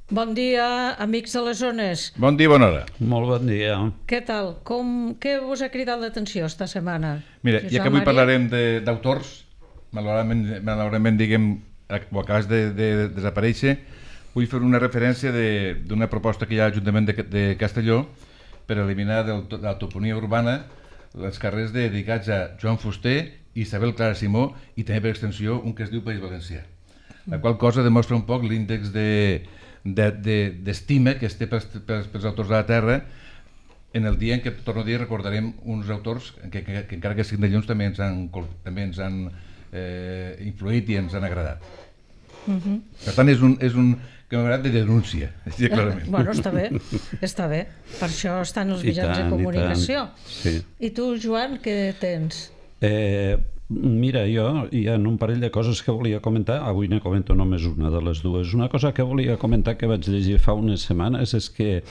Bon dia, amics de les zones. Bon dia, bona hora. Molt bon dia. Què tal? Què us ha cridat l'atenció esta setmana? Mira, ja que avui Maria? parlarem d'autors, malauradament diguem, ho acabes de desaparèixer, vull fer una referència d'una proposta que hi ha a l'Ajuntament de Castelló per eliminar de la toponia urbana els carrers dedicats a Joan Fuster, Isabel Clara Simó i també per extensió un que es diu País Valencià. La qual cosa demostra un poc l'índex d'estima que es té pels autors de la terra en el dia en què, torno a dir, recordarem uns autors que encara que siguin de llums també ens han influït i ens han agradat. Per tant, és un que m'ha agradat de denúncia, clarament. Bueno, està bé. Per això estan els mitjans de comunicació. Sí. I tu, Joan, què tens? Mira, jo hi ha un parell de coses que volia comentar. Avui ne comento només una de les dues. Una cosa que volia comentar que vaig llegir fa unes setmanes és que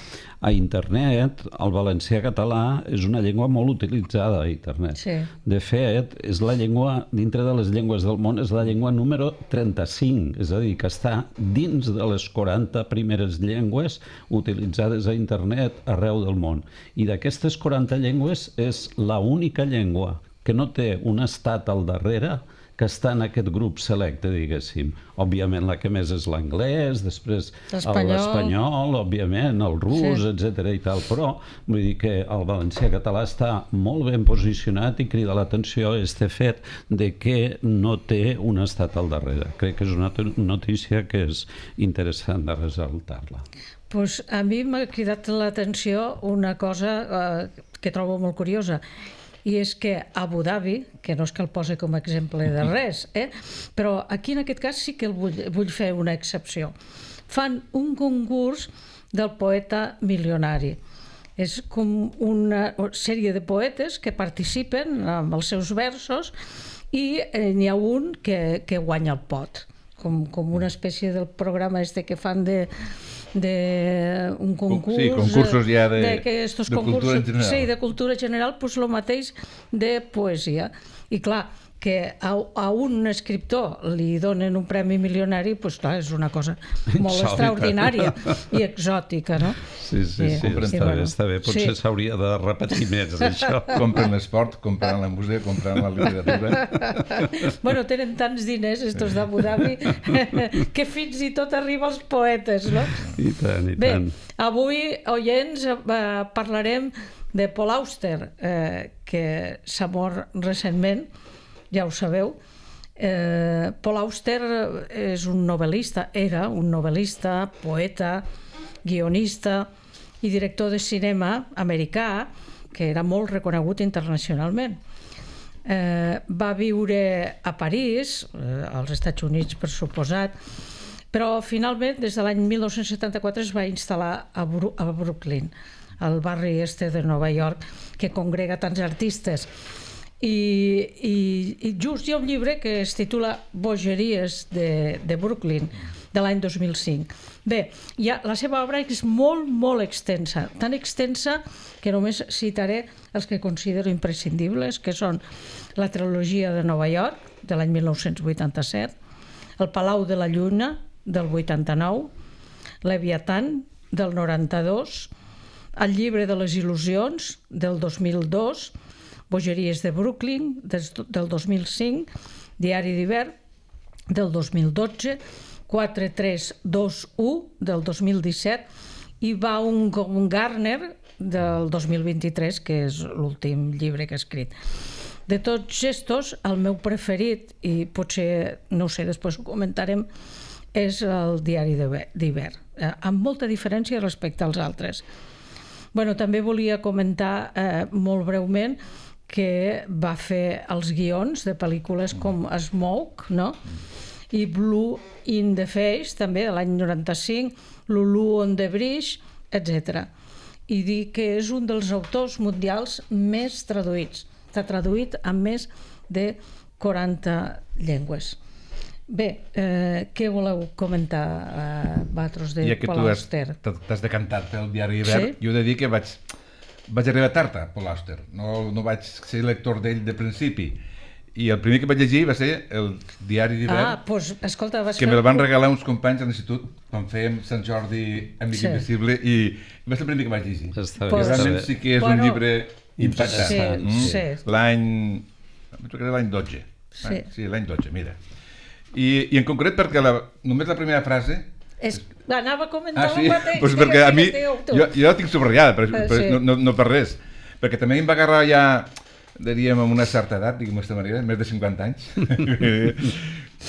a internet el valencià català és una llengua molt utilitzada a internet. Sí. De fet, és la llengua, dintre de les llengües del món, és la llengua número 35, és a dir, que està dins de les 40 primeres llengües utilitzades a internet arreu del món. I d'aquestes 40 llengües és l'única llengua que no té un estat al darrere que està en aquest grup selecte, diguéssim. Òbviament la que més és l'anglès, després l'espanyol, òbviament, el rus, sí, etc. i tal, però vull dir que el valencià català està molt ben posicionat i crida l'atenció este fet de que no té un estat al darrere. Crec que és una notícia que és interessant de ressaltar-la. Pues a mi m'ha cridat l'atenció una cosa que trobo molt curiosa, i és que Abu Dhabi, que no és que el posi com a exemple de res, però aquí en aquest cas sí que vull fer una excepció. Fan un concurs del poeta milionari. És com una sèrie de poetes que participen amb els seus versos i n'hi ha un que guanya el pot, com una espècie del programa que fan d'un concurs, sí, concursos ja de cultura general. Sí, de cultura general, doncs el mateix de poesia. I clar, que a un escriptor li donen un premi milionari, doncs clar, és una cosa molt extraordinària i exòtica, no? Sí, està bé. Potser s'hauria de repetir més, això. Compren l'esport, compren la música, compren la literatura. Bueno, tenen tants diners, estos d'Abu Dhabi, que fins i tot arriba als poetes, no? I tant, i tant. Bé, avui, oients, parlarem de Paul Auster, que s'ha mort recentment, ja ho sabeu. Paul Auster és un novel·lista, era un novel·lista, poeta, guionista i director de cinema americà, que era molt reconegut internacionalment. Va viure a París, als Estats Units per suposat, però finalment des de l'any 1974 es va instal·lar a Brooklyn, al barri este de Nova York, que congrega tants artistes. I just hi ha un llibre que es titula Bogeries de Brooklyn, de l'any 2005. Bé, la seva obra és molt, molt extensa, tan extensa que només citaré els que considero imprescindibles, que són la trilogia de Nova York, de l'any 1987, el Palau de la Lluna, del 89, Leviatán, del 92, el Llibre de les Il·lusions, del 2002, Bogeries de Brooklyn, del 2005, Diari d'hivern, del 2012, 4321, del 2017, i Baumgartner, del 2023, que és l'últim llibre que ha escrit. De tots estos, el meu preferit, i potser, no ho sé, després ho comentarem, és el Diari d'hivern, amb molta diferència respecte als altres. Bueno, també volia comentar molt breument que va fer els guions de pel·lícules com Smoke, no? I Blue in the Face, també, de l'any 95, Lulu on the Bridge, etc. I dir que és un dels autors mundials més traduïts. Està traduït en més de 40 llengües. Bé, què voleu comentar, vosaltres, de Paul Auster? Ja que tu t'has decantat pel Diari d'hivern, jo he de dir que vaig arribar tard a Paul Auster, no vaig ser lector d'ell de principi, I el primer que vaig llegir va ser el Diari d'hivern, Doncs, escolta, vas que me'l van regalar uns companys a l'institut quan fèiem Sant Jordi amb Mica Invisible, i va ser el primer que vaig llegir. Està Que realment sí que és un llibre Interessant. impactant. L'any 12. Sí, l'any 12, mira. I en concret perquè només la primera frase... Anava a comentar el mateix. Pues perquè a mi, jo la tinc subratllada, no per res. Perquè també em va agarrar ja, diríem, amb una certa edat, diguem d'aquesta manera, més de 50 anys.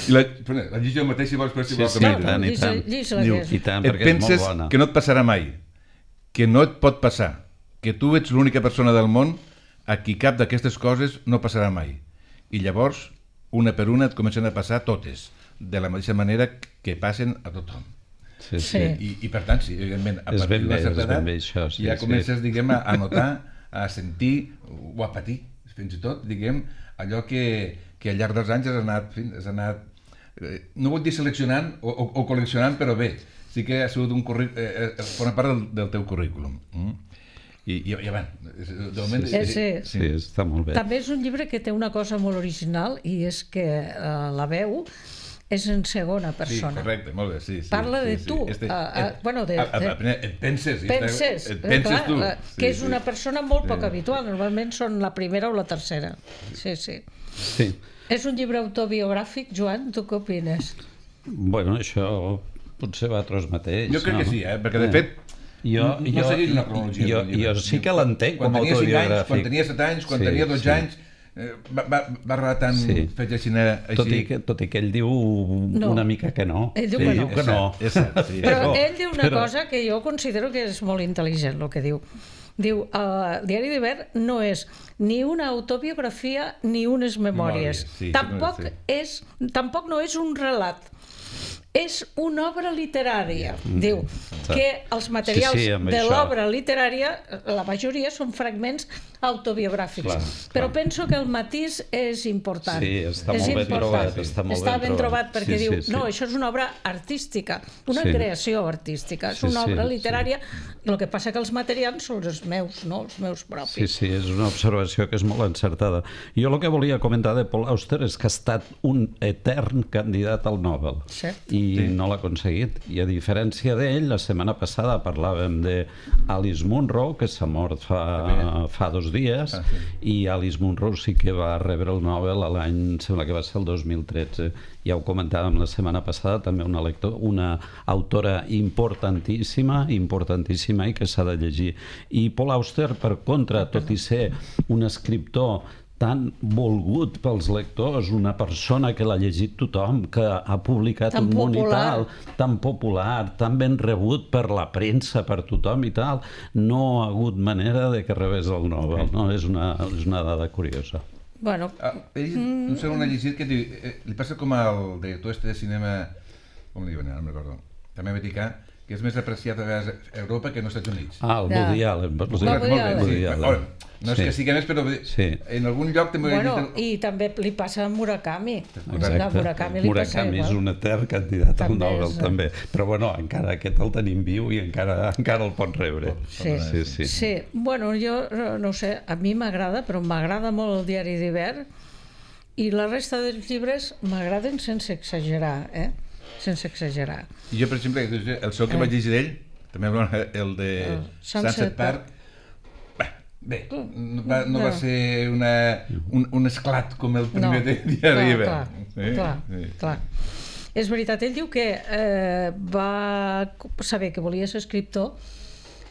I la llegeixo el mateix, si vols, però si vols. I tant, et perquè és molt penses bona. que no et passarà mai, que no et pot passar, que tu ets l'única persona del món a qui cap d'aquestes coses no passarà mai. I llavors, una per una, et comencen a passar totes, de la mateixa manera que passen a tothom. I per tant, sí, evidentment, a partir d'una certa edat ja comences, diguem, a notar, a sentir o a patir, fins i tot, diguem, allò que al llarg dels anys has anat no vull dir seleccionant o col·leccionant, però bé, sí que ha sigut forma part del teu currículum. I bueno, de moment... Sí, està molt bé. També és un llibre que té una cosa molt original, i és que la veu és en segona persona. Sí, correcte, molt bé, sí. Parla de tu. Et penses tu. Que és una persona molt poc habitual. Normalment són la primera o la tercera. Sí. És un llibre autobiogràfic, Joan, tu què opines? Bueno, això potser va a tros mateix. Jo crec que sí, perquè de fet no segueix una cronologia. Jo sí que l'entenc com a autobiogràfic. Quan tenia 7 anys, quan tenia 12 anys, va relatant fets així. Tot i que ell diu una mica que no. Ell diu que no. Però ell diu una cosa que jo considero que és molt intel·ligent, el que diu. Diu, el Diari d'hivern no és ni una autobiografia ni unes memòries. Tampoc no és un relat. És una obra literària. Diu que els materials de l'obra literària, la majoria són fragments autobiogràfics. Però penso que el matís és important. Sí, està molt ben trobat. Està ben trobat perquè diu, no, això és una obra artística, una creació artística, és una obra literària, i el que passa que els materials són els meus, no els meus propis. Sí, és una observació que és molt encertada. Jo el que volia comentar de Paul Auster és que ha estat un etern candidat al Nobel. I no l'ha aconseguit. I a diferència d'ell, la setmana passada parlàvem d'Alice Munro, que s'ha mort fa 2 dies, i Alice Munro sí que va rebre el Nobel l'any, sembla que va ser el 2013. Ja ho comentàvem la setmana passada, també una autora importantíssima i que s'ha de llegir. I Paul Auster, per contra, tot i ser un escriptor tan volgut pels lectors, una persona que l'ha llegit tothom, que ha publicat un monital tan popular, tan ben rebut per la premsa, per tothom i tal, no ha hagut manera de que rebés el Nobel. És una dada curiosa. Bueno... Ell, no sé on ha llegit, que li passa com al director de cinema, com li diuen, no me'n recordo, també americà, que és més apreciat a Europa que als Estats Units. El Woody Allen. No és que sigui més, però en algun lloc també... I també li passa a Murakami. Murakami és un etern candidat al Nobel, també. Però bueno, encara aquest el tenim viu i encara el pot rebre. Sí. Bueno, jo no sé, a mi m'agrada, però m'agrada molt el Diari d'hivern, i la resta dels llibres m'agraden sense exagerar, sense exagerar. Jo, per exemple, el segon que vaig llegir d'ell, també el de Sunset Park, bé, no va ser un esclat com el primer de Diari d'hivern. Clar. És veritat, ell diu que va saber que volia ser escriptor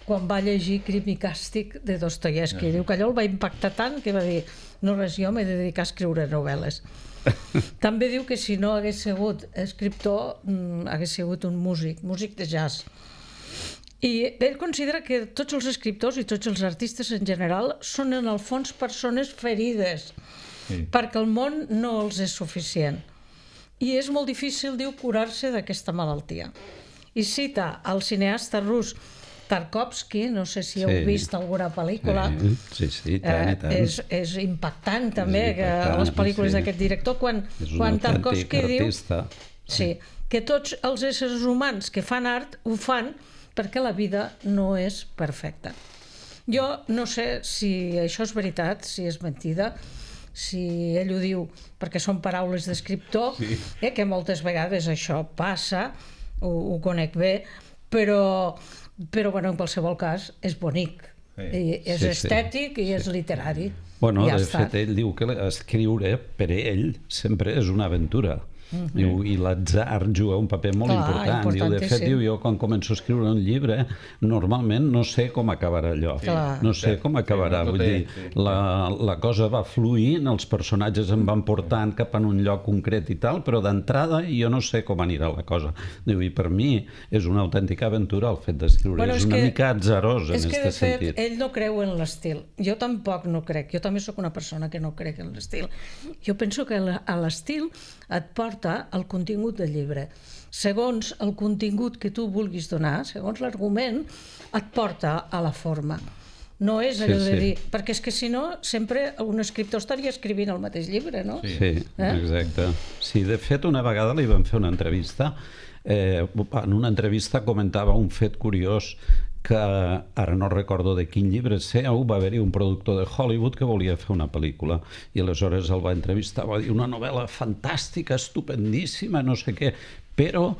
quan va llegir Crim i càstig de Dostoievski. Diu que allò el va impactar tant que va dir, no res, jo m'he de dedicar a escriure novel·les. També diu que si no hagués sigut escriptor, hagués sigut un músic de jazz. I ell considera que tots els escriptors i tots els artistes en general són en el fons persones ferides, perquè el món no els és suficient. I és molt difícil, diu, curar-se d'aquesta malaltia. I cita el cineasta rus Tarkovsky, no sé si heu vist alguna pel·lícula. Sí, tant i tant. És impactant també les pel·lícules d'aquest director, quan Tarkovsky diu que tots els éssers humans que fan art ho fan perquè la vida no és perfecta. Jo no sé si això és veritat, si és mentida, si ell ho diu perquè són paraules d'escriptor, que moltes vegades això passa, ho conec bé, però bueno, en qualsevol cas és bonic, és estètic i és literari. Bueno, de fet, ell diu que escriure per ell sempre és una aventura. Diu, i l'atzar juga un paper molt important. Diu, de fet, jo quan començo a escriure un llibre normalment no sé com acabarà allò, no sé com acabarà, vull dir, la cosa va fluint, els personatges em van portant cap a un lloc concret i tal, però d'entrada jo no sé com anirà la cosa. Diu, i per mi és una autèntica aventura el fet d'escriure, és una mica atzarós en aquest sentit. És que de fet ell no creu en l'estil, jo tampoc no crec, jo també sóc una persona que no crec en l'estil. Jo penso que l'estil et porta el contingut del llibre. Segons el contingut que tu vulguis donar, segons l'argument, et porta a la forma. No és allò de dir... Perquè és que si no, sempre un escriptor estaria escrivint el mateix llibre, no? Sí, exacte. Sí, de fet, una vegada li vam fer una entrevista. En una entrevista comentava un fet curiós que ara no recordo de quin llibre seu, va haver-hi un productor de Hollywood que volia fer una pel·lícula i aleshores el va entrevistar, va dir una novel·la fantàstica, estupendíssima, no sé què, però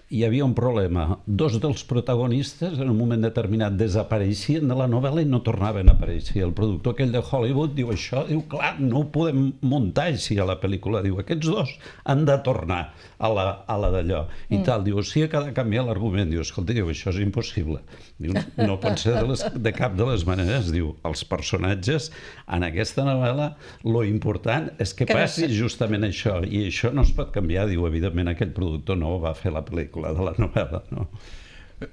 hi havia un problema. Dos dels protagonistes en un moment determinat desapareixien de la novel·la i no tornaven a aparèixer. El productor aquell de Hollywood diu això, diu, clar, no ho podem muntar així a la pel·lícula. Diu, aquests dos han de tornar a la d'allò. I tal, diu, sí que ha de canviar l'argument. Diu, escolta, diu, això és impossible. Diu, no pot ser de cap de les maneres. Diu, els personatges en aquesta novel·la, lo important és que passi justament això. I això no es pot canviar. Diu, evidentment, aquell productor no va fer la pel·lícula de la novel·la, no?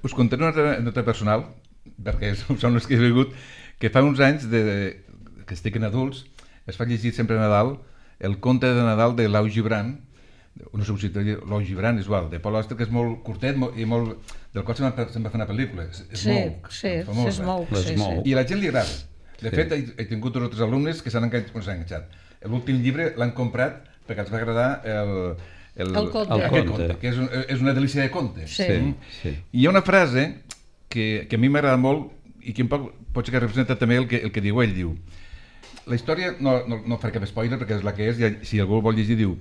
Us contaré una anècdota personal, perquè són les que he vingut, que fa uns anys que estic en adults, es fa llegir sempre a Nadal el conte de Nadal de Lau Gibran, no sé si Lau Gibran és igual, de Paul Auster, que és molt curtet i molt... del qual se'n va fer una pel·lícula, es mou. I a la gent li agrada. De fet, he tingut dos o tres alumnes que s'han enganxat. L'últim llibre l'han comprat perquè els va agradar el conte, que és una delícia de conte. I hi ha una frase que a mi m'agrada molt i que un poc pot ser que representa també el que diu ell. Diu, la història, no faré cap spoiler perquè és la que és, i si algú vol llegir, diu,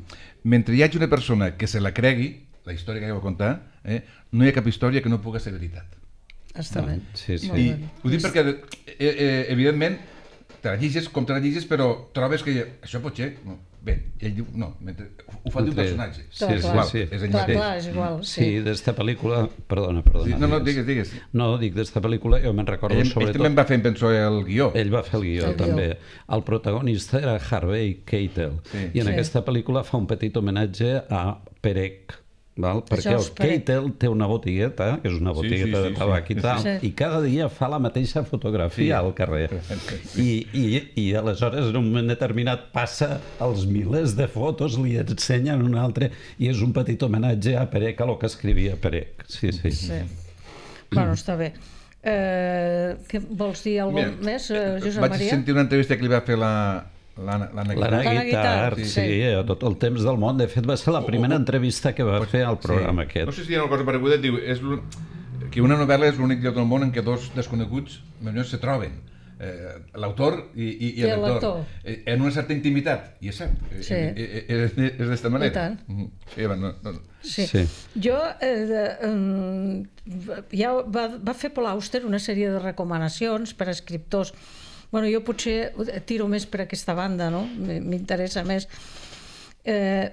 mentre hi hagi una persona que se la cregui, la història que va contar, no hi ha cap història que no pugui ser veritat. Està bé. I ho dic perquè, evidentment, te la llegis com te la llegis, però trobes que això pot ser... Bé, ell diu, no, ho fa d'un personatge. Sí, és igual. Sí, d'esta pel·lícula... Perdona. No, digues. No, dic, d'esta pel·lícula jo me'n recordo sobretot... Ell també va fer, penso, el guió. Ell va fer el guió, també. El protagonista era Harvey Keitel, i en aquesta pel·lícula fa un petit homenatge a Perec, perquè el Keitel té una botigueta, que és una botigueta de tabac i tal, i cada dia fa la mateixa fotografia al carrer. I aleshores, en un moment determinat, passa els milers de fotos, li ensenyen un altre, i és un petit homenatge a Perec, a lo que escrivia Perec. Sí. Bueno, està bé. Vols dir alguna cosa més, Josep Maria? Vaig sentir una entrevista que li va fer l'Anna Guitart, sí, a tot el temps del món. De fet, va ser la primera entrevista que va fer al programa aquest. No sé si hi ha una cosa pareguda, diu que una novel·la és l'únic lloc del món en què dos desconeguts se troben, l'autor i el lector, en una certa intimitat, i és cert, és d'esta manera. Sí. Jo ja va fer Paul Auster una sèrie de recomanacions per a escriptors. Bueno, jo potser tiro més per aquesta banda, no? M'interessa més.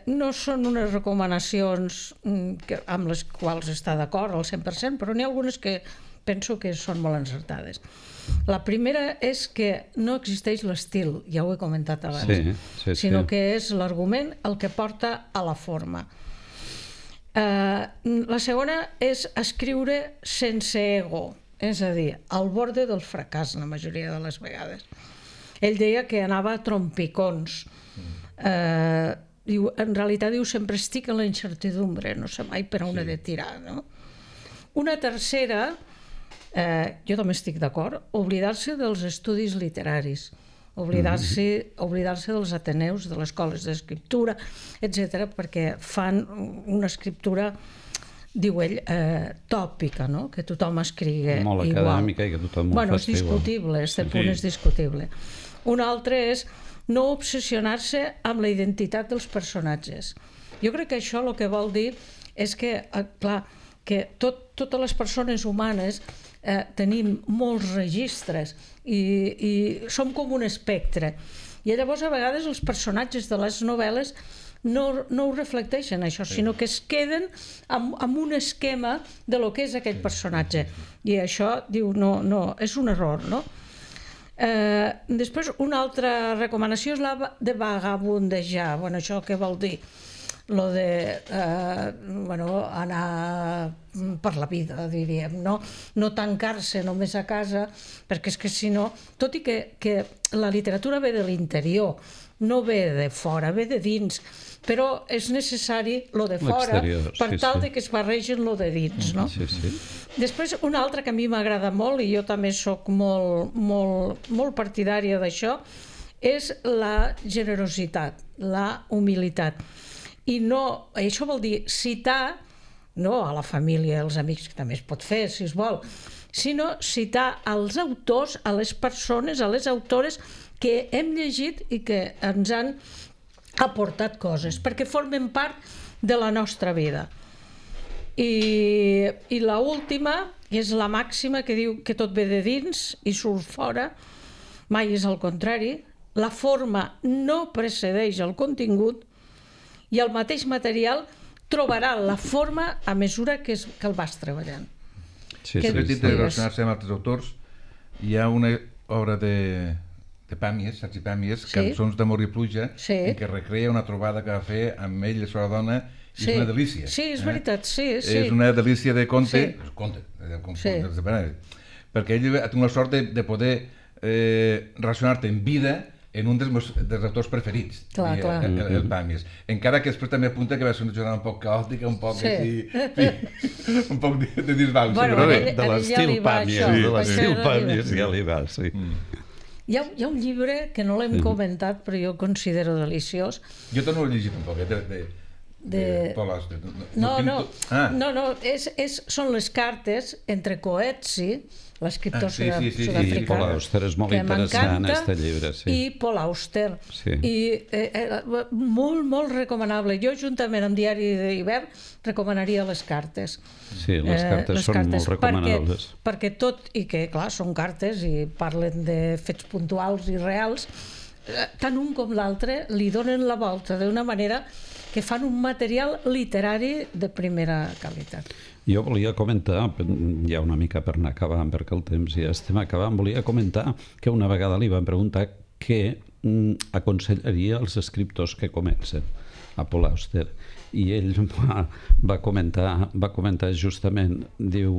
No són unes recomanacions amb les quals està d'acord al 100%, però n'hi ha algunes que penso que són molt encertades. La primera és que no existeix l'estil, ja ho he comentat abans, sinó que és l'argument el que porta a la forma. La segona és escriure sense ego, és a dir, al borde del fracàs la majoria de les vegades. Ell deia que anava a trompicons. En realitat diu, sempre estic en la incertidumbre, no sé mai per on he de tirar. Una tercera, jo també estic d'acord, oblidar-se dels estudis literaris, oblidar-se dels ateneus, de les escoles d'escriptura, etc., perquè fan una escriptura, diu ell, tòpica, que tothom escrigui igual. Molt acadèmica i que tothom ho faci igual. És discutible, aquest punt és discutible. Un altre és no obsessionar-se amb la identitat dels personatges. Jo crec que això el que vol dir és que, clar, que totes les persones humanes tenim molts registres i som com un espectre. I llavors a vegades els personatges de les novel·les no ho reflecteixen això, sinó que es queden amb un esquema de lo que és aquell personatge. I això, diu, no, és un error, no? Després, una altra recomanació és la de vagabundejar. Bueno, això què vol dir? Lo de anar per la vida, diríem, no tancar-se només a casa, perquè és que si no, tot i que la literatura ve de l'interior, no ve de fora, ve de dins, però és necessari lo de fora per tal de que es barregen lo de dins, no? Sí, sí. Després, una altra que a mi m'agrada molt, i jo també sóc molt partidària d'això, és la generositat, la humilitat. I no, això vol dir citar, no a la família, als amics, que també es pot fer, si es vol, sinó citar als autors, a les persones, a les autores que hem llegit i que ens han aportat coses, perquè formen part de la nostra vida. I l'última és la màxima que diu que tot ve de dins i surt fora, mai és el contrari, la forma no precedeix el contingut i el mateix material trobarà la forma a mesura que el vas treballant. Sí, sí. De relacionar-se amb altres autors, hi ha una obra de Pàmies, Sergi Pàmies, Cançons d'amor i pluja, en què recrea una trobada que va fer amb ell i la seva dona, i és una delícia. Sí, és veritat, sí. És una delícia de conte, perquè ell ha tingut la sort de poder relacionar-te en vida en un dels autors preferits, el Pàmies. Encara que després també apunta que va ser una jornada un poc caòtica, un poc un poc de disbauxa. Bueno, de l'estil Pàmies ja li va, sí. Hi ha un llibre que no l'hem comentat, però jo considero deliciós. Jo també l'he llegit un poc, de Paul Auster. No, són les cartes entre Coetzee, l'escriptor sud-africà, Paul Auster és molt interessant, aquest llibre. I Paul Auster. I molt recomanable. Jo, juntament amb Diari d'hivern, recomanaria les cartes. Sí, les cartes són molt recomanables. Perquè tot, i que, clar, són cartes i parlen de fets puntuals i reals, tant un com l'altre li donen la volta d'una manera que fan un material literari de primera qualitat. Jo volia comentar, ja una mica per anar acabant, perquè el temps ja estem acabant, volia comentar que una vegada li van preguntar què aconsellaria als escriptors que comencen, a Paul Auster, i ell va comentar justament, diu,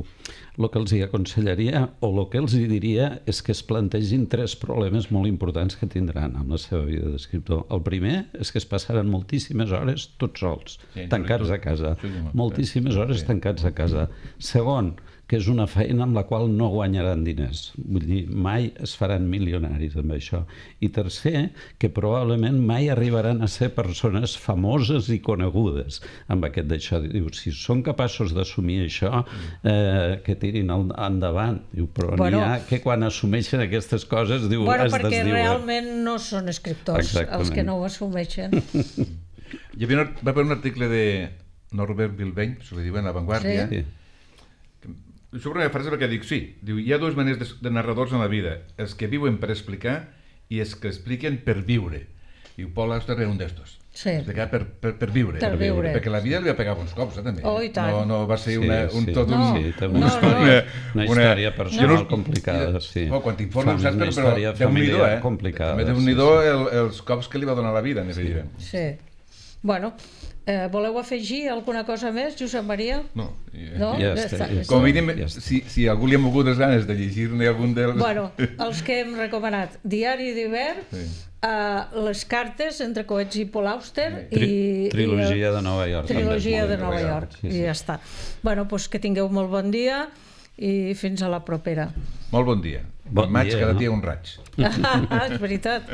el que els hi aconsellaria o el que els hi diria és que es plantegin 3 problemes molt importants que tindran amb la seva vida d'escriptor. El primer és que es passaran moltíssimes hores tots sols, tancats a casa, moltíssimes hores tancats a casa. Segon, que és una feina amb la qual no guanyaran diners. Vull dir, mai es faran milionaris amb això. I tercer, que probablement mai arribaran a ser persones famoses i conegudes amb aquest d'això. Diu, si són capaços d'assumir això, que tirin endavant. Diu, però n'hi ha que quan assumeixen aquestes coses, diu, es desdiuen. Perquè realment no són escriptors els que no ho assumeixen. Va haver un article de Norbert Bilbeny, se li diuen La Vanguardia, sobre una frase perquè dic, sí, diu, hi ha 2 maneres de narradors en la vida, els que viuen per explicar i els que expliquen per viure. Diu, Paul Auster era un d'estos. Explicar per viure. Perquè la vida li va pegar uns cops, també. Oh, i tant. No va ser una història personal complicada, sí. Quan t'informes, saps, però Déu-n'hi-do, Déu-n'hi-do els cops que li va donar la vida, en aquest llibre. Sí. Bueno, voleu afegir alguna cosa més, Josep Maria? No. Ja està. Com a mínim, si algú li ha mogut les ganes de llegir-ne algun dels... Bueno, els que hem recomanat, Diari d'hivern, les cartes entre Coetzee i Paul Auster i... Trilogia de Nova York. Trilogia de Nova York, i ja està. Bueno, doncs que tingueu molt bon dia i fins a la propera. Molt bon dia. Bon maig, cada dia un raig. És veritat.